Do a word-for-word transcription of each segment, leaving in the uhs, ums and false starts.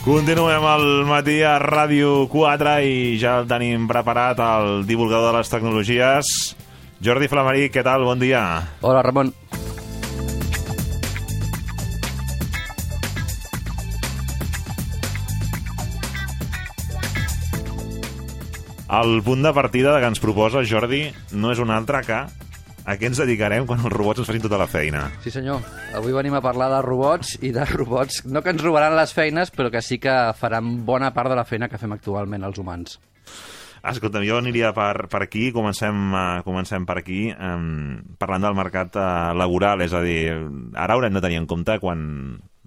Continuem al matí a Ràdio quatre i ja el tenim preparat, el divulgador de les tecnologies, Jordi Flamaric. Què tal? Bon dia. Hola, Ramon. El punt de partida que ens proposa Jordi no és un altre que a què ens dedicarem quan els robots ens facin tota la feina. Sí, senyor. Avui venim a parlar de robots i de robots, no que ens robaran les feines, però que sí que faran bona part de la feina que fem actualment els humans. Escolta'm, jo aniria per, per aquí, comencem, uh, comencem per aquí, um, parlant del mercat uh, laboral, és a dir, ara haurem de tenir en compte quan...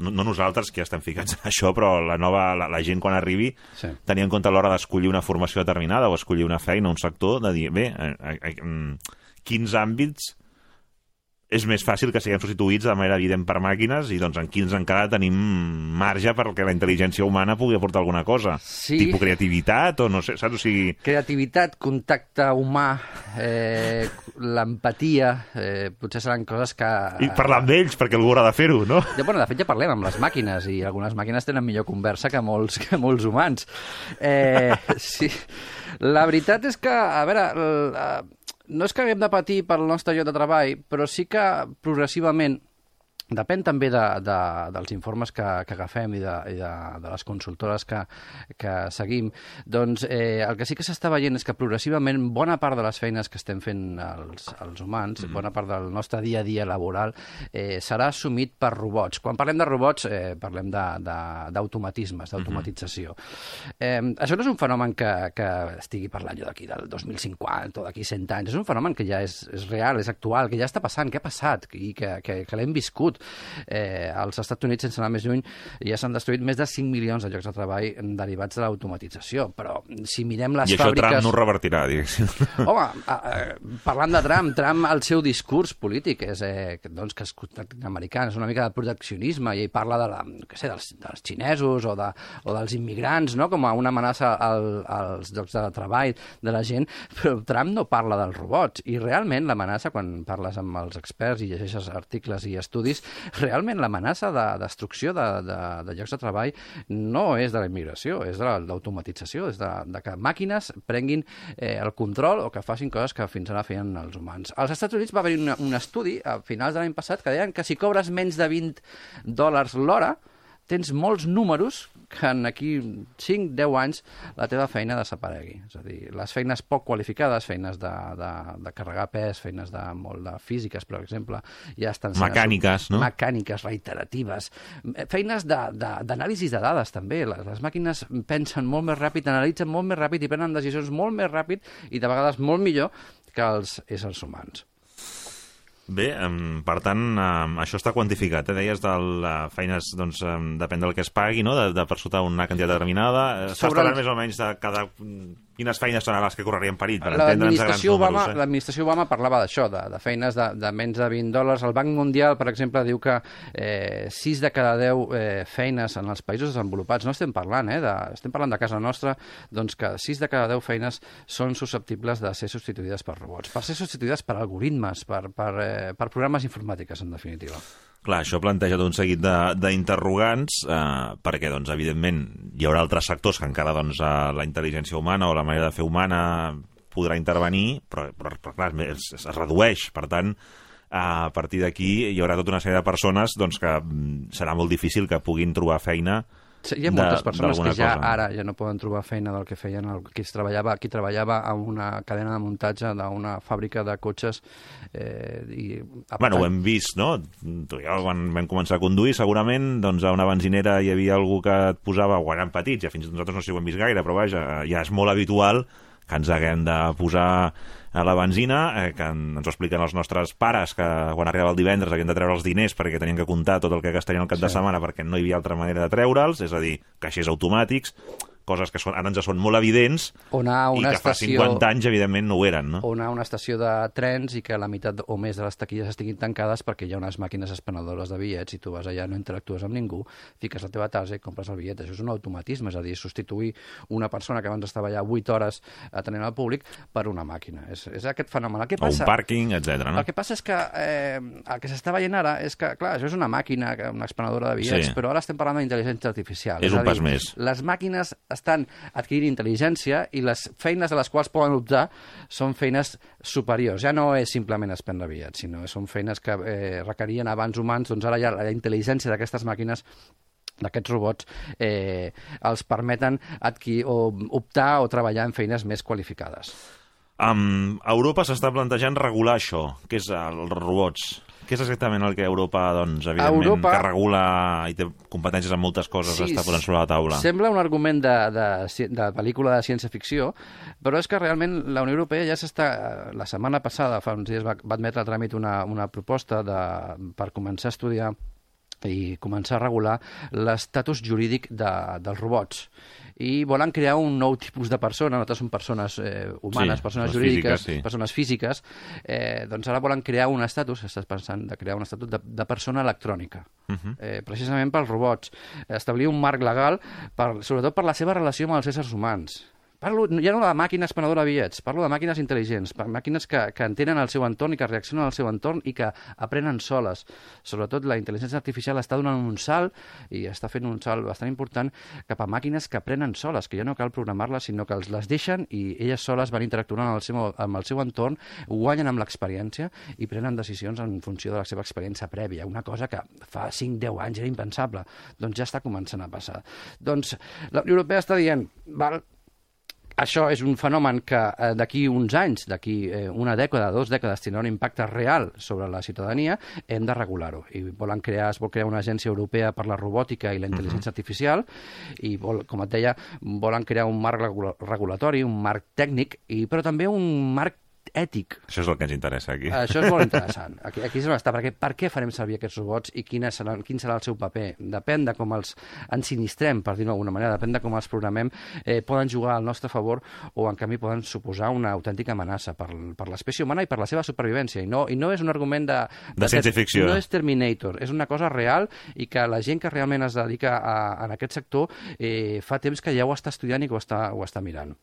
No, no nosaltres, que ja estem ficats en això, però la, nova, la, la gent quan arribi, sí. Tenir en compte a l'hora d'escollir una formació determinada o escollir una feina, un sector, de dir, bé, eh, eh, eh, quins àmbits és més fàcil que siguem substituïts de manera evident per màquines i doncs en quins encara tenim marge perquè la intel·ligència humana pugui aportar alguna cosa. Sí. Tipus creativitat o no sé, saps? O sigui... Creativitat, contacte humà, eh, l'empatia, eh, potser seran coses que... I parlar amb ells, perquè algú haurà de fer-ho, no? Ja, bueno, de fet ja parlem amb les màquines i algunes màquines tenen millor conversa que molts, que molts humans. Eh, sí. La veritat és que, a veure... La... No és que haguem de patir pel nostre lloc de treball, però sí que progressivament, depèn també de, de, dels informes que, que agafem i, de, i de, de les consultores que, que seguim, doncs eh, el que sí que s'està veient és que progressivament bona part de les feines que estem fent els, els humans, mm-hmm. bona part del nostre dia a dia laboral, eh, serà assumit per robots. Quan parlem de robots, eh, parlem d'automatismes, d'automatització. Mm-hmm. Eh, això no és un fenomen que, que estigui parlant jo d'aquí del dos mil cinquanta o d'aquí cent anys, és un fenomen que ja és, és real, és actual, que ja està passant, que ha passat i que, que, que l'hem viscut. Eh, als Estats Units, sense anar més lluny, ja s'han destruït més de cinc milions de llocs de treball derivats de l'automatització. Però si mirem les I això fàbriques... Trump no ho revertirà, diguéssim. Home, eh, parlant de Trump, Trump, el seu discurs polític és eh, doncs, que és americà, és una mica de proteccionisme, i ell parla de la, què sé, dels, dels xinesos o, de, o dels immigrants, no?, com a una amenaça al, als llocs de treball de la gent, però Trump no parla dels robots. I realment l'amenaça, quan parles amb els experts i llegeixes articles i estudis, realment l'amenaça de destrucció de, de, de llocs de treball no és de la immigració, és de l'automatització, és de, de que màquines prenguin eh, el control o que facin coses que fins ara feien els humans. Als Estats Units va haver-hi un, un estudi a finals de l'any passat que deien que si cobres menys de vint dòlars l'hora, tens molts números que en aquí cinc a deu anys la teva feina desaparegui. És a dir, les feines poc qualificades, feines de, de, de carregar pes, feines de molt de físiques, per exemple, ja estan... Mecàniques, no? Mecàniques, reiteratives. Feines d'anàlisi de, de dades, també. Les, les màquines pensen molt més ràpid, analitzen molt més ràpid i prenen decisions molt més ràpid i de vegades molt millor que els éssers humans. Bé, um, per tant, um, això està quantificat. Eh? Deies de uh, feines, doncs, um, depèn del que es pagui, no?, de, de per sota una quantitat determinada. S'està parlant més o menys de cada... Quines feines són les que correrien perill, per entendre'ns a grans números. Eh? L'administració Obama parlava d'això, de, de feines de, de menys de vint dòlars. El Banc Mundial, per exemple, diu que eh, sis de cada deu eh, feines en els països desenvolupats, no estem parlant, eh, de, estem parlant de casa nostra, doncs que sis de cada deu feines són susceptibles de ser substituïdes per robots, per ser substituïdes per algoritmes, per, per, eh, per programes informàtics, en definitiva. Clar, això planteja tot un seguit d'interrogants, eh, perquè, doncs, evidentment, hi haurà altres sectors que encara doncs, la intel·ligència humana o la manera de fer humana podrà intervenir, però, però, però clar, es, es redueix. Per tant, a partir d'aquí hi haurà tota una sèrie de persones doncs, que serà molt difícil que puguin trobar feina. Hi ha moltes persones que ja cosa. ara ja no poden trobar feina del que feien el, qui, treballava, qui treballava a una cadena de muntatge d'una fàbrica de cotxes. Eh, i, bueno, ho hem vist, no? Tu i jo, quan vam començar a conduir, segurament doncs, a una benzinera hi havia algú que et posava, o eren petits, ja fins nosaltres no s'hi ho hem vist gaire, però vaja, ja és molt habitual que ens haguem de posar a la benzina, eh, que ens ho expliquen els nostres pares, que quan arribava el divendres havien de treure els diners perquè tenien que comptar tot el que gastarien el cap sí. de setmana perquè no hi havia altra manera de treure'ls, és a dir, caixers automàtics, coses que són, ara ens són molt evidents o anar a una i que fa estació... cinquanta anys, evidentment, no ho eren, no? O anar a una estació de trens i que la meitat o més de les taquilles estiguin tancades perquè hi ha unes màquines expenedores de bitllets i tu vas allà, no interactues amb ningú, fiques la teva tasa i compres el bitllet. Això és un automatisme, és a dir, substituir una persona que abans estava allà vuit hores atenent al públic per una màquina. És, és aquest fenomen. El que passa, o un pàrquing, etcètera. No? El que passa és que eh, el que s'està veient ara és que, clar, això és una màquina, una expenedora de bitllets, Sí. però ara estem parlant d'intel·ligència artificial. És és un a dir, pas més. Les màquines estan adquirint intel·ligència i les feines de les quals poden optar són feines superiors. Ja no és simplement expendre bitllets, sinó són feines que eh, requerien abans humans, doncs ara ja la intel·ligència d'aquestes màquines d'aquests robots eh, els permeten adquirir o optar o treballar en feines més qualificades. Um, a Europa s'està plantejant regular això, que és els robots. Què és exactament el que Europa, doncs, evidentment, Europa... que regula i té competències en moltes coses, sí, està posant sobre la taula? Sembla un argument de, de, de pel·lícula de ciència-ficció, però és que realment la Unió Europea ja s'està... La setmana passada, fa uns dies, va, va admetre a tràmit una, una proposta de, per començar a estudiar i començar a regular l'estatus jurídic de, dels robots. I volen crear un nou tipus de persona, nosaltres són persones eh, humanes, Sí, persones les jurídiques, físiques, sí. persones físiques, eh, doncs ara volen crear un estatus, estàs pensant de crear un estatut de, de persona electrònica, uh -huh. eh, precisament pels robots, establir un marc legal, per, sobretot per la seva relació amb els éssers humans. Parlo ja no de màquines expenedora de bitllets, parlo de màquines intel·ligents, màquines que, que entenen el seu entorn i que reaccionen al seu entorn i que aprenen soles. Sobretot la intel·ligència artificial està donant un salt, i està fent un salt bastant important, cap a màquines que aprenen soles, que ja no cal programar-les, sinó que els les deixen i elles soles van interactuant amb el seu, amb el seu entorn, guanyen amb l'experiència i prenen decisions en funció de la seva experiència prèvia, una cosa que fa cinc deu anys era impensable. Doncs ja està començant a passar. Doncs la Unió Europea està dient, val, això és un fenomen que eh, d'aquí uns anys, d'aquí eh, una dècada, dues dècades, tindrà un impacte real sobre la ciutadania, hem de regular-ho. I volen crear, es vol crear una agència europea per la robòtica i la intel·ligència uh-huh. artificial, i, vol, com et deia, volen crear un marc regula regulatori, un marc tècnic, i, però també un marc ètic. Això és el que ens interessa aquí. Això és molt interessant. Aquí, aquí és on està, perquè per què farem servir aquests robots i quin serà, quin serà el seu paper? Depèn de com els ensinistrem, per dir-ho d'alguna manera, depèn de com els programem, eh, poden jugar al nostre favor o, en canvi, poden suposar una autèntica amenaça per, per l'espècie humana i per la seva supervivència. I no, i no és un argument de... De, de ciència-ficció. No és Terminator, és una cosa real i que la gent que realment es dedica a, a aquest sector eh, fa temps que ja ho està estudiant i que ho està, ho està mirant.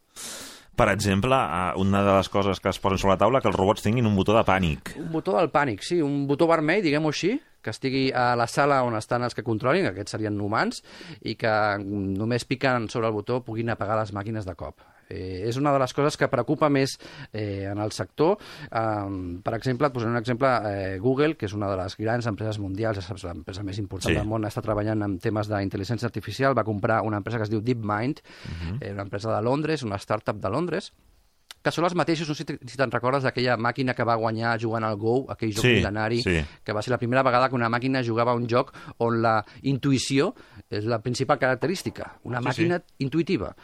Per exemple, una de les coses que es posen sobre la taula, que els robots tinguin un botó de pànic. Un botó del pànic, sí, un botó vermell, diguem-ho així, que estigui a la sala on estan els que controlin, aquests serien humans, i que només picant sobre el botó puguin apagar les màquines de cop. Eh, és una de les coses que preocupa més eh, en el sector. Um, per exemple, et posaré un exemple, eh, Google, que és una de les grans empreses mundials, és l'empresa més important sí. del món, està treballant en temes d'intel·ligència artificial, va comprar una empresa que es diu DeepMind, uh-huh. eh, una empresa de Londres, una startup de Londres, que són els mateixos, no sé si te'n recordes d'aquella màquina que va guanyar jugant al Go, aquell joc sí, mil·lenari, sí. que va ser la primera vegada que una màquina jugava a un joc on la intuïció és la principal característica, una sí, màquina sí. intuïtiva.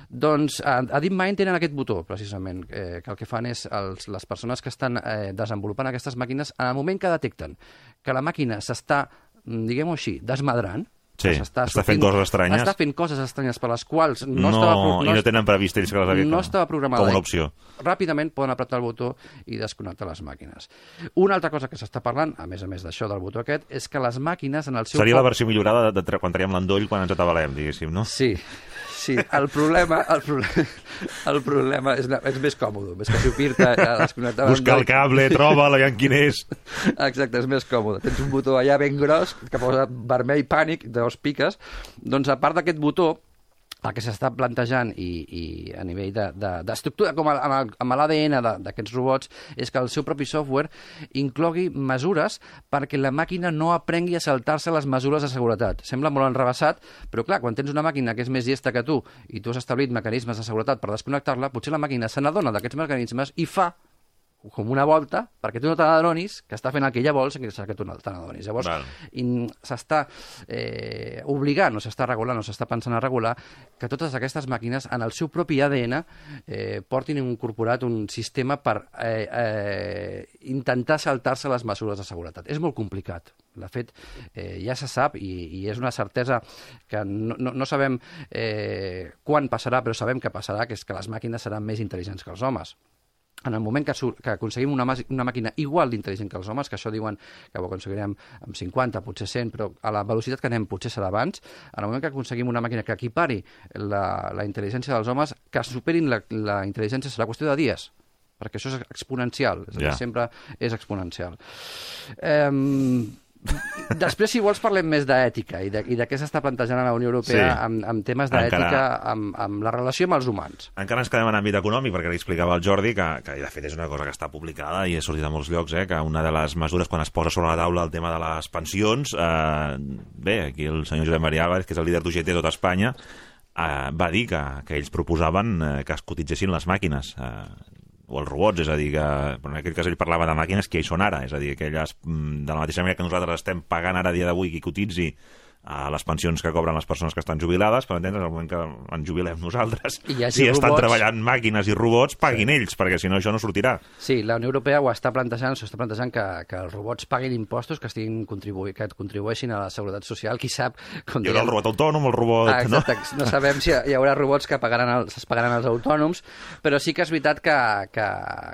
Doncs a, a DeepMind tenen aquest botó, precisament, eh, que el que fan és els, les persones que estan eh, desenvolupant aquestes màquines, en el moment que detecten que la màquina s'està, diguem-ho així, desmadrant, sí, està, està fent coses estranyes. Està fent coses estranyes per les quals no, no estava... No, I no tenen previst ells que les havia no estava programada. Com una opció. Ràpidament poden apretar el botó i desconnectar les màquines. Una altra cosa que s'està parlant, a més a més d'això del botó aquest, és que les màquines en el seu... Seria la versió millorada de, de quan traiem l'endoll quan ens atabalem, diguéssim, no? Sí, sí. El problema, el problema, el problema és, és més còmode, més que xupir-te a desconnectar... Buscar el cable, troba-la, ja quin és. Exacte, és més còmode. Tens un botó allà ben gros que posa vermell pànic, dos piques. Doncs a part d'aquest botó, el que s'està plantejant i, i a nivell d'estructura, de, de, com a, amb, amb l'A D N d'aquests robots, és que el seu propi software inclogui mesures perquè la màquina no aprengui a saltar-se les mesures de seguretat. Sembla molt enrevessat, però clar, quan tens una màquina que és més llesta que tu i tu has establit mecanismes de seguretat per desconnectar-la, potser la màquina se n'adona d'aquests mecanismes i fa com una volta perquè tu no te n'adonis que està fent el que ella vol sense que tu no te n'adonis. Llavors, s'està eh, obligant, o s'està regulant, o s'està pensant a regular que totes aquestes màquines, en el seu propi A D N, eh, portin incorporat un sistema per eh, eh, intentar saltar-se les mesures de seguretat. És molt complicat. De fet, eh, ja se sap, i, i és una certesa que no, no, no sabem eh, quan passarà, però sabem que passarà, que és que les màquines seran més intel·ligents que els homes. En el moment que, que aconseguim una, una màquina igual d'intel·ligent que els homes, que això diuen que ho aconseguirem amb cinquanta, potser cent, però a la velocitat que anem potser serà abans, en el moment que aconseguim una màquina que equipari la, la intel·ligència dels homes, que superin la, la intel·ligència serà qüestió de dies, perquè això és exponencial, és a dir, yeah. sempre és exponencial. Eh, Després, si vols, parlem més d'ètica i de, i de què s'està plantejant a la Unió Europea sí. amb, amb temes d'ètica, encara... amb, amb la relació amb els humans. Encara ens quedem en àmbit econòmic, perquè li explicava el Jordi, que, que de fet és una cosa que està publicada i ha sortit a molts llocs, eh, que una de les mesures, quan es posa sobre la taula el tema de les pensions, eh, bé, aquí el senyor Josep Maria Álvarez, que és el líder d'U G T de tota Espanya, eh, va dir que, que ells proposaven eh, que es cotitzessin les màquines, eh, o els robots, és a dir, que en aquest cas ell parlava de màquines que hi són ara, és a dir, aquelles, de la mateixa manera que nosaltres estem pagant ara a dia d'avui qui cotitzi a les pensions que cobren les persones que estan jubilades, per entendre, en el moment que ens jubilem nosaltres, si robots... estan treballant màquines i robots, paguin sí. ells, perquè si no això no sortirà. Sí, la Unió Europea ho està plantejant, s'ho està plantejant que, que els robots paguin impostos, que estiguin contribu que contribueixin a la seguretat social, qui sap... Com hi haurà el robot autònom, el robot... Ah, exacte, no? no sabem si hi haurà robots que pagaran el, es pagaran els autònoms, però sí que és veritat que, que,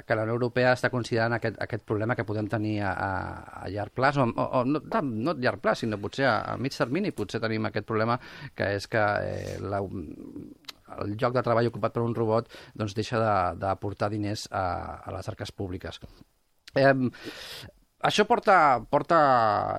que la Unió Europea està considerant aquest, aquest problema que podem tenir a, a, a llarg plaç, o, o, o no, no a llarg plaç, sinó potser a, a mig termini, i potser tenim aquest problema que és que eh, la, el lloc de treball ocupat per un robot doncs deixa d'aportar diners a, a les arques públiques. Eh, Això porta, porta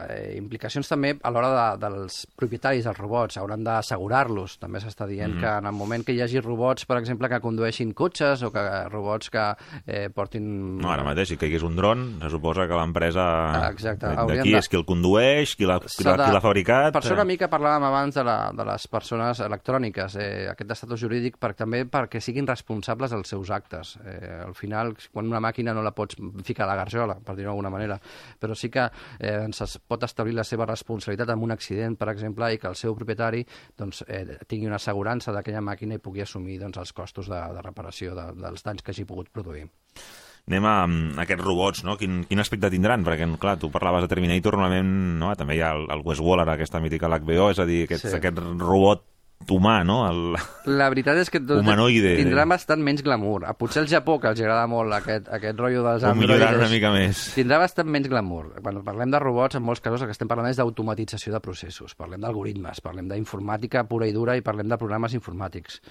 eh, implicacions també a l'hora de, dels propietaris dels robots. Hauran d'assegurar-los. També s'està dient mm -hmm. que en el moment que hi hagi robots, per exemple, que condueixin cotxes o que robots que eh, portin... No, ara mateix, si caigués un dron, se suposa que l'empresa d'aquí de... és qui el condueix, qui l'ha de... fabricat... Per això una mica parlàvem abans de, la, de les persones electròniques, eh, aquest estatus jurídic, per, també perquè siguin responsables dels seus actes. Eh, al final, quan una màquina no la pots ficar a la garjola, per dir-ho d'alguna manera, però sí que eh, es pot establir la seva responsabilitat en un accident, per exemple, i que el seu propietari doncs, eh, tingui una assegurança d'aquella màquina i pugui assumir doncs, els costos de, de reparació de, dels danys que hagi pogut produir. Anem a, a aquests robots, no? Quin, quin aspecte tindran? Perquè, clar, tu parlaves de Terminator, normalment no? També hi ha el, el Wes Waller, aquesta mítica l'H B O, és a dir, aquest, sí. aquest robot humà, no? El... La veritat és que humanoide. Tindrà bastant menys glamour. Potser al Japó, que els agrada molt aquest, aquest rotllo dels androides... Ho milloraran una mica més. Tindrà bastant menys glamour. Quan parlem de robots, en molts casos el que estem parlant és d'automatització de processos. Parlem d'algoritmes, parlem d'informàtica pura i dura i parlem de programes informàtics.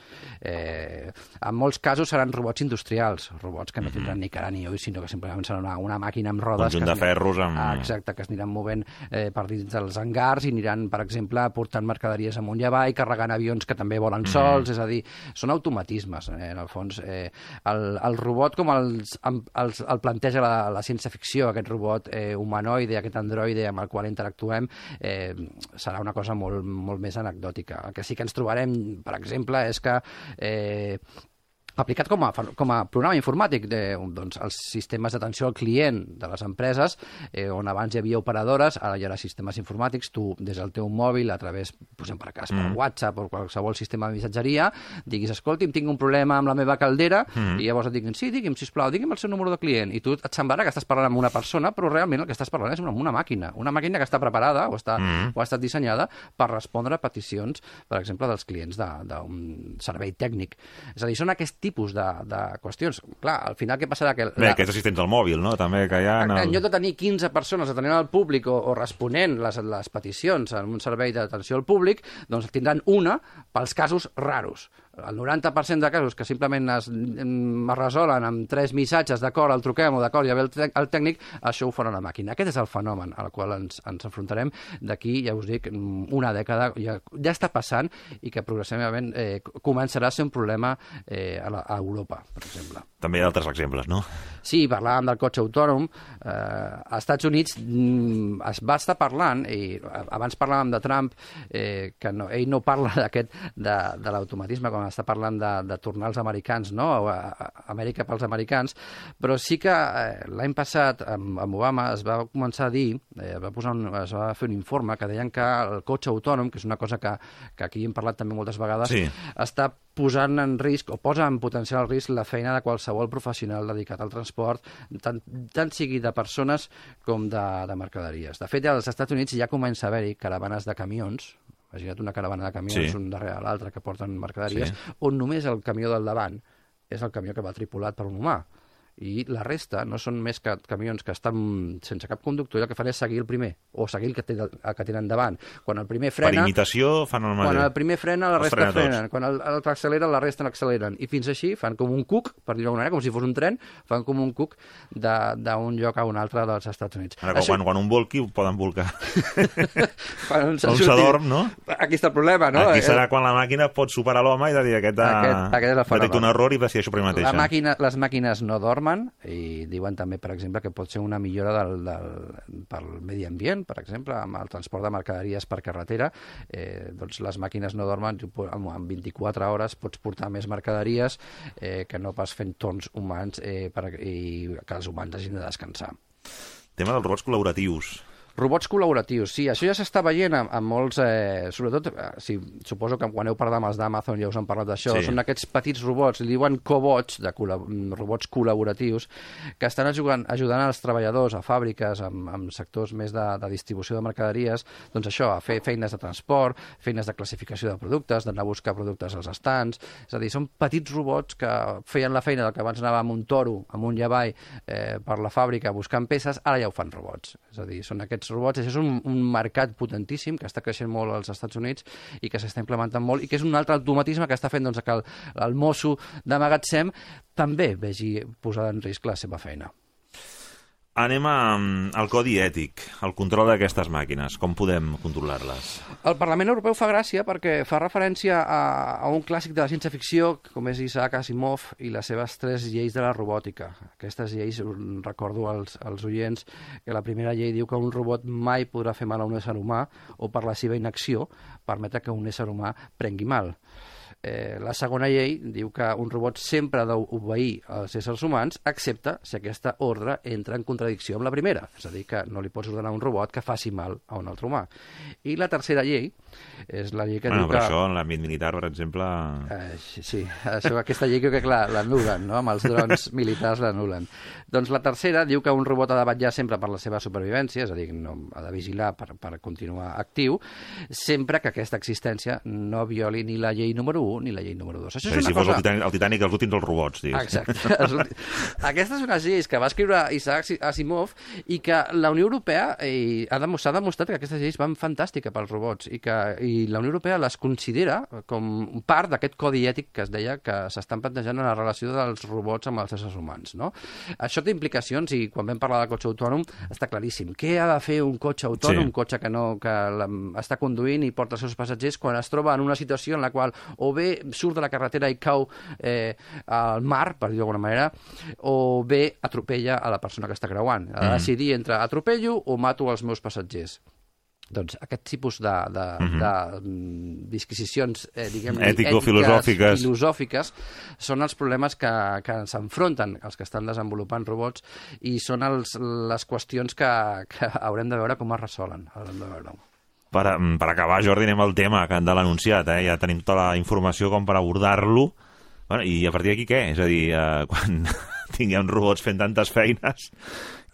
Eh, en molts casos seran robots industrials, robots que no tindran mm-hmm. ni cara ni ulls, sinó que simplement serà una, una màquina amb rodes... Conjunt de ferros amb... Ah, exacte, que es aniran movent eh, per dins dels hangars i aniran, per exemple, portant mercaderies amunt i avall, carregant avions que també volen sols, mm. és a dir, són automatismes, eh, en el fons. Eh, el, el robot, com els, els, el planteja la, la ciència-ficció, aquest robot eh, humanoide, aquest androide amb el qual interactuem, eh, serà una cosa molt, molt més anecdòtica. El que sí que ens trobarem, per exemple, és que eh, aplicat com a, com a programa informàtic de, doncs, els sistemes d'atenció al client de les empreses, eh, on abans hi havia operadores, ara hi haurà sistemes informàtics, tu des del teu mòbil, a través, posem per cas, per mm. WhatsApp o qualsevol sistema de missatgeria, diguis, escolti'm, tinc un problema amb la meva caldera, mm. i llavors et diguin, sí, digui'm, sisplau, digui'm el seu número de client, i tu et semblarà que estàs parlant amb una persona, però realment el que estàs parlant és amb una màquina, una màquina que està preparada o, està, mm. o ha estat dissenyada per respondre a peticions, per exemple, dels clients d'un servei tècnic. És a dir, són aquest tipus de, de qüestions. Clar, al final què passarà? Que Bé, la... aquests assistents al mòbil, no? També que hi ha... En, el... en lloc de tenir quinze persones atenent al públic o, o responent les, les peticions en un servei d'atenció al públic, doncs tindran una pels casos raros. El noranta per cent de casos que simplement es, es resolen amb tres missatges, d'acord, el truquem o d'acord, ja ve el, el tècnic, això ho farà una màquina. Aquest és el fenomen al qual ens, ens enfrontarem d'aquí, ja us dic, una dècada, ja, ja està passant i que progressivament eh, començarà a ser un problema eh, a, la, a Europa, per exemple. També hi ha altres exemples, no? Sí, parlàvem del cotxe autònom. Eh, als Estats Units mm, es va estar parlant, i abans parlàvem de Trump, eh, que no, ell no parla d'aquest de, de l'automatisme com està parlant de, de tornar als americans, no? A, a Amèrica pels americans, però sí que eh, l'any passat amb, amb Obama es va començar a dir, eh, es, va posar un, es va fer un informe que deien que el cotxe autònom, que és una cosa que, que aquí hem parlat també moltes vegades, sí. està posant en risc, o posa en potencial risc, la feina de qualsevol professional dedicat al transport, tant, tant sigui de persones com de, de mercaderies. De fet, als Estats Units ja comença a haver-hi caravanes de camions, imagina't una caravana de camions, sí. un darrere l'altre, que porten mercaderies, sí. on només el camió del davant és el camió que va tripulat per un humà. I la resta no són més que camions que estan sense cap conductor i el que fan és seguir el primer, o seguir el que, té, el que tenen davant. Quan el primer frena... Per imitació fan el mateix. Quan el primer frena, la resta frenen. Quan el, el accelera, la resta n'acceleren. I fins així fan com un cuc, per dir-ho d'alguna manera, com si fos un tren, fan com un cuc d'un lloc a un altre dels Estats Units. Ara, Això... quan, quan un volqui, ho poden volcar. quan un s'adorm, no? Aquí està el problema, no? Aquí serà quan la màquina pot superar l'home i de dir aquest, aquest, aquest detecta un error i decideixo per mi mateixa. La màquina, les màquines no dormen, i diuen també, per exemple, que pot ser una millora del, del, pel medi ambient, per exemple, amb el transport de mercaderies per carretera. Eh, doncs les màquines no dormen, en vint-i-quatre hores pots portar més mercaderies eh, que no pas fent torns humans eh, per, i que els humans hagin de descansar. Tema dels robots col·laboratius. Robots col·laboratius, sí, això ja s'està veient amb, amb molts, eh, sobretot, eh, sí, suposo que quan heu parlat amb els d'Amazon ja us han parlat d'això, sí. Són aquests petits robots, li diuen cobots, de col·la robots col·laboratius, que estan ajudant, ajudant els treballadors a fàbriques, amb, amb sectors més de, de distribució de mercaderies, doncs això, a fer feines de transport, feines de classificació de productes, d'anar a buscar productes als estants, és a dir, són petits robots que feien la feina del que abans anava amb un toro, amb un llavall, eh, per la fàbrica buscant peces, ara ja ho fan robots, és a dir, són aquests robots. Això és un, un mercat potentíssim que està creixent molt als Estats Units i que s'està implementant molt i que és un altre automatisme que està fent doncs, que el, el mosso de magatzem també vegi posada en risc la seva feina. Anem a, al codi ètic, al control d'aquestes màquines. Com podem controlar-les? El Parlament Europeu fa gràcia perquè fa referència a, a un clàssic de la ciència-ficció, com és Isaac Asimov i les seves tres lleis de la robòtica. Aquestes lleis, recordo als, als oients, que la primera llei diu que un robot mai podrà fer mal a un ésser humà o per la seva inacció permetre que un ésser humà prengui mal. Eh, la segona llei diu que un robot sempre ha d'obeir als éssers humans, excepte si aquesta ordre entra en contradicció amb la primera. És a dir, que no li pots ordenar a un robot que faci mal a un altre humà. I la tercera llei és la llei que bueno, diu que... que... això, en l'àmbit militar, per exemple... Eh, sí, sí. Això, aquesta llei crec que, clar, l'anulen, no? Amb els drons militars l'anulen. Doncs la tercera diu que un robot ha de vetllar sempre per la seva supervivència, és a dir, no, ha de vigilar per, per continuar actiu, sempre que aquesta existència no violi ni la llei número u ni la llei número dos. Això és una si cosa... fos el Titanic, el Titanic els últims dels robots, digues. Exacte. Aquestes són les lleis que va escriure Isaac Asimov i que la Unió Europea eh, ha demostrat, demostrat que aquestes lleis van fantàstica pels robots i que i la Unió Europea les considera com part d'aquest codi ètic que es deia que s'estan plantejant en la relació dels robots amb els éssers humans, no? Això té implicacions i quan vam parlar del cotxe autònom està claríssim. Què ha de fer un cotxe autònom, sí. un cotxe que, no, que la, està conduint i porta els seus passatgers quan es troba en una situació en la qual o bé surt de la carretera i cau eh, al mar, per dir-ho d'alguna manera, o bé atropella a la persona que està creuant. Ha de decidir entre atropello o mato els meus passatgers. Doncs aquest tipus de, de, uh-huh. de disquisicions eh, diguem, ètico-filosòfiques filosòfiques són els problemes que, que s'enfronten els que estan desenvolupant robots i són els, les qüestions que, que haurem de veure com es resolen. Haurem de veure. Per, per acabar, Jordi, anem al tema que han de l'anunciat, eh? Ja tenim tota la informació com per abordar-lo. Bueno, i a partir d'aquí què? És a dir, eh, quan tinguem robots fent tantes feines,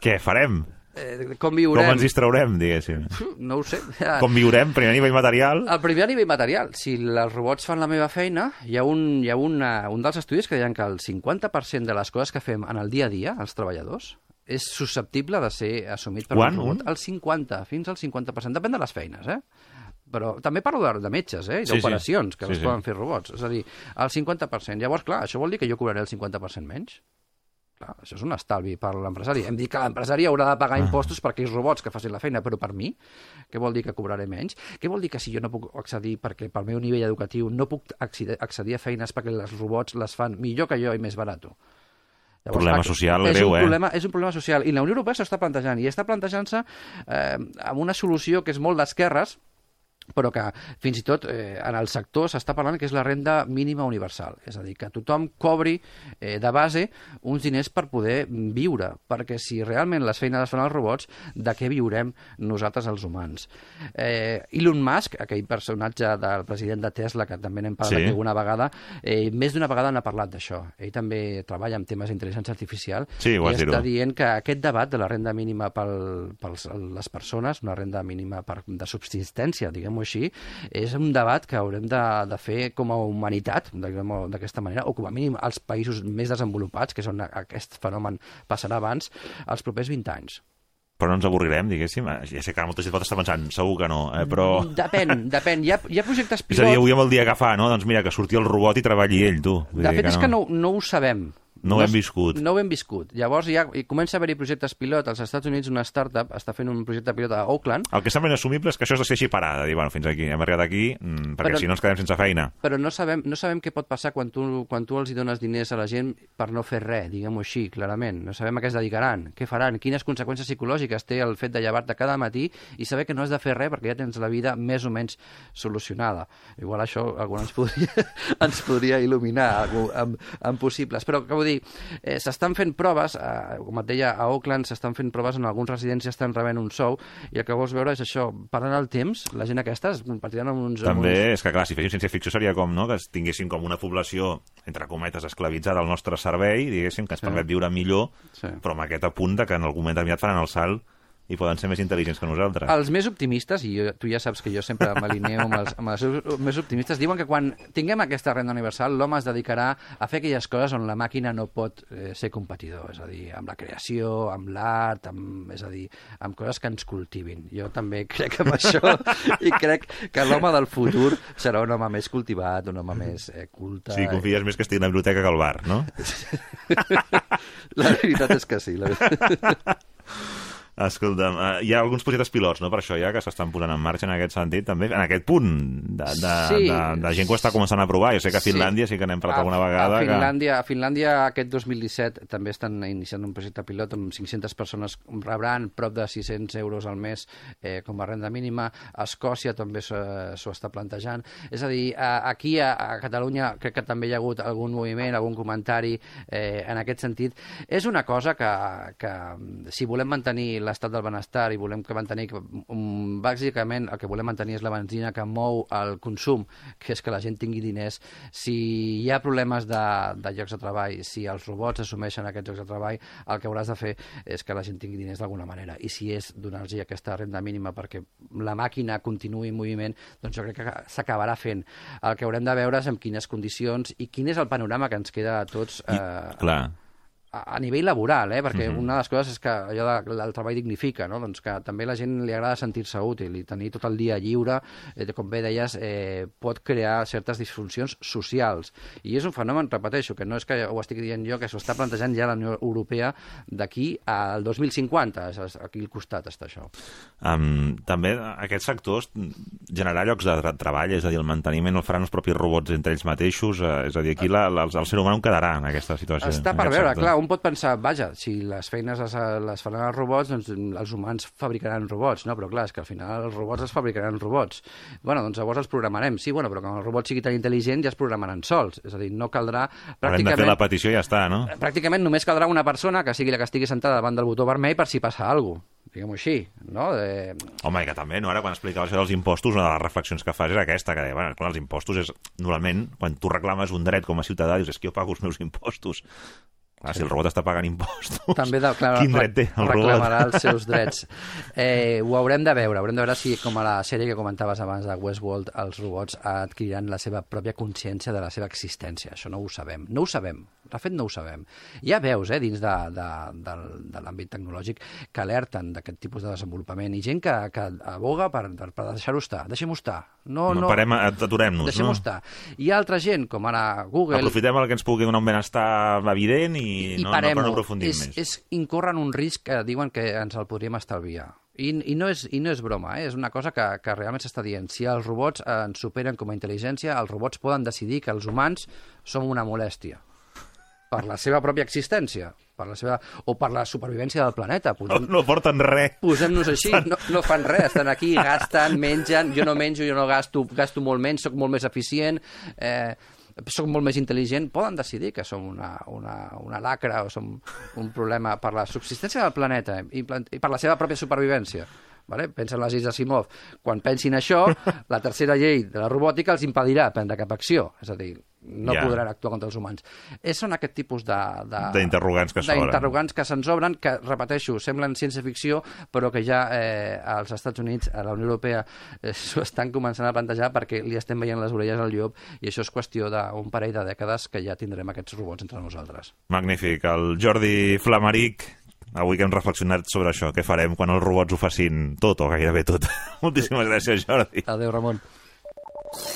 què farem? Eh, com viurem? Com ens distraurem, diguéssim? No ho sé. Com viurem? Primer nivell material? El primer nivell material. Si els robots fan la meva feina, hi ha, un, hi ha una, un dels estudis que deien que el cinquanta per cent de les coses que fem en el dia a dia, els treballadors, és susceptible de ser assumit per Quan? un robot. El cinquanta, fins al cinquanta per cent. Depèn de les feines, eh? Però també parlo de, de metges, eh? I d'operacions, sí, sí. que sí, les sí. poden fer robots. És a dir, el cinquanta per cent. Llavors, clar, això vol dir que jo cobraré el cinquanta per cent menys? Clar, això és un estalvi per l'empresari. Hem dit que l'empresari haurà de pagar impostos per aquells robots que facin la feina, però per mi, què vol dir que cobraré menys? Què vol dir que si jo no puc accedir, perquè pel meu nivell educatiu no puc accedir a feines perquè els robots les fan millor que jo i més barat? Llavors, problema social és greu, un eh? Problema, és un problema social. I la Unió Europea s'està plantejant, i està plantejant-se eh, amb una solució que és molt d'esquerres, però que fins i tot eh, en el sector s'està parlant que és la renda mínima universal, és a dir, que tothom cobri eh, de base uns diners per poder viure, perquè si realment les feines les fan els robots, de què viurem nosaltres els humans? Eh, Elon Musk, aquell personatge del president de Tesla, que també n'hem parlat sí. alguna vegada, eh, més d'una vegada n'ha parlat d'això. Ell també treballa en temes d'intel·ligència artificial sí, i està dient que aquest debat de la renda mínima per les persones, una renda mínima per, de subsistència, diguem així, és un debat que haurem de, de fer com a humanitat, d'aquesta manera, o com a mínim als països més desenvolupats, que és on aquest fenomen passarà abans, els propers vint anys. Però no ens avorrirem, diguéssim? Ja sé que molta gent pot estar pensant, segur que no, eh? però... Depèn, depèn. Hi ha, hi ha projectes pilot... És a dir, avui amb el dia que fa, no? Doncs mira, que surti el robot i treballi ell, tu. De fet, que és no. que no, no ho sabem. No ho hem viscut. No ho hem viscut. Llavors ja hi comença a haver-hi projectes pilot. Als Estats Units una startup està fent un projecte pilot a Oakland. El que sembla inassumible és que això es deixi parar, de dir, bueno, fins aquí, hem arribat aquí, mmm, perquè però, si no ens quedem sense feina. Però no sabem, no sabem què pot passar quan tu, quan tu els hi dones diners a la gent per no fer res, diguem-ho així, clarament. No sabem a què es dedicaran, què faran, quines conseqüències psicològiques té el fet de llevar-te cada matí i saber que no has de fer res perquè ja tens la vida més o menys solucionada. Igual això algú ens podria, ens podria il·luminar amb, amb possibles. Però, què vull dir, eh, s'estan fent proves, eh, com et deia, a Oakland s'estan fent proves en alguns residents ja estan rebent un sou, i el que vols veure és això, parant el temps, la gent aquesta es compartiran amb uns... També amb uns... és que, clar, si féssim ciència-ficció seria com, no?, que tinguéssim com una població, entre cometes, esclavitzada al nostre servei, diguéssim, que ens sí. permet viure millor, sí. però amb aquest apunt que en algun moment determinat faran el salt i poden ser més intel·ligents que nosaltres. Els més optimistes, i jo, tu ja saps que jo sempre m'alineo amb, els, amb els més optimistes, diuen que quan tinguem aquesta renda universal, l'home es dedicarà a fer aquelles coses on la màquina no pot eh, ser competidor, és a dir, amb la creació, amb l'art, amb, és a dir, amb coses que ens cultivin. Jo també crec en això i crec que l'home del futur serà un home més cultivat, un home més eh, culte. Sí, confies més que estigui a la biblioteca que al bar, no? La veritat és que sí. La veritat. Escolta'm, uh, hi ha alguns projectes pilots, no?, per això ja, que s'estan posant en marxa en aquest sentit, també, en aquest punt de, de, sí. de, de gent que ho està començant a provar. Jo sé que a Finlàndia sí, sí que n'hem parlat a, alguna vegada. A Finlàndia, que... a Finlàndia aquest dos mil disset també estan iniciant un projecte pilot amb cinc-centes persones rebran prop de sis-cents euros al mes eh, com a renda mínima. A Escòcia també s'ho està plantejant. És a dir, a, aquí a, a Catalunya crec que també hi ha hagut algun moviment, algun comentari eh, en aquest sentit. És una cosa que, que si volem mantenir l'estat del benestar i volem que mantenir, que, um, bàsicament el que volem mantenir és la benzina que mou el consum, que és que la gent tingui diners. Si hi ha problemes de, de llocs de treball, si els robots assumeixen aquests llocs de treball, el que hauràs de fer és que la gent tingui diners d'alguna manera. I si és donar-los aquesta renda mínima perquè la màquina continuï en moviment, doncs jo crec que s'acabarà fent. El que haurem de veure és en quines condicions i quin és el panorama que ens queda a tots... Eh, I, clar. a nivell laboral, eh? Perquè uh-huh. una de les coses és que allò de, del treball dignifica, no? Doncs que també la gent li agrada sentir-se útil i tenir tot el dia lliure, eh, com bé deies, eh, pot crear certes disfuncions socials. I és un fenomen, repeteixo, que no és que ho estic dient jo, que s'ho està plantejant ja la Unió Europea d'aquí al dos mil cinquanta. Aquí al costat està això. Um, també aquests sectors, generar llocs de tra treball, és a dir, el manteniment el faran els propis robots entre ells mateixos, eh, és a dir, aquí la, la, el ser humà no quedarà en aquesta situació. Està per veure, sector. Clar, un pot pensar, vaja, si les feines les, les faran els robots, doncs els humans fabricaran robots, no? Però clar, és que al final els robots els fabricaran robots. Bueno, doncs llavors els programarem. Sí, bueno, però quan el robot sigui tan intel·ligent ja es programaran sols. És a dir, no caldrà... Haurem de fer la petició i ja està, no? Pràcticament només caldrà una persona que sigui la que estigui sentada davant del botó vermell per si passa alguna cosa. Diguem-ho així, no? De... Home, i que també, no? Ara, quan explicava això dels impostos, una de les reflexions que fas és aquesta, que deia, bueno, clar, els impostos és, normalment, quan tu reclames un dret com a ciutadà, dius, és que jo pago els meus impostos. Ah, si el robot està pagant impostos, també de, clar, quin dret té el robot? Reclamarà els seus drets. Eh, ho haurem de veure, haurem de veure si, com a la sèrie que comentaves abans de Westworld, els robots adquiriran la seva pròpia consciència de la seva existència. Això no ho sabem. No ho sabem. De fet, no ho sabem. Hi ha veus, eh, dins de, de, de, de l'àmbit tecnològic que alerten d'aquest tipus de desenvolupament i gent que, que aboga per, per, per deixar-ho estar. Deixem-ho estar. No, no, no parem, aturem-nos, no? Deixem-ho estar. Hi ha altra gent, com ara Google... Aprofitem el que ens pugui donar un benestar evident i, i no, no, no aprofundim és, més. És incórrer en un risc que diuen que ens el podríem estalviar. I, i, no és, I no és broma, eh? És una cosa que, que realment s'està dient. Si els robots eh, ens superen com a intel·ligència, els robots poden decidir que els humans som una molèstia. per la seva pròpia existència, per la seva... o per la supervivència del planeta. Posem... No, no porten res. Posem-nos així, no, no fan res, estan aquí, gasten, mengen, jo no menjo, jo no gasto, gasto molt menys, sóc molt més eficient, eh, sóc molt més intel·ligent, poden decidir que som una, una, una lacra o som un problema per la subsistència del planeta i, i per la seva pròpia supervivència. Vale? Pensa en les lleis d'Asimov. Quan pensin això, la tercera llei de la robòtica els impedirà prendre cap acció. És a dir, no yeah. podran actuar contra els humans. És, són aquest tipus de... d'interrogants que s'obren. D'interrogants que se'ns obren, que, repeteixo, semblen ciència-ficció, però que ja eh, als Estats Units, a la Unió Europea, eh, s'ho estan començant a plantejar perquè li estem veient les orelles al llop i això és qüestió d'un parell de dècades que ja tindrem aquests robots entre nosaltres. Magnífic. El Jordi Flamaric, avui que hem reflexionat sobre això, què farem quan els robots ho facin tot o gairebé tot. Moltíssimes gràcies, Jordi. Adéu, Ramon.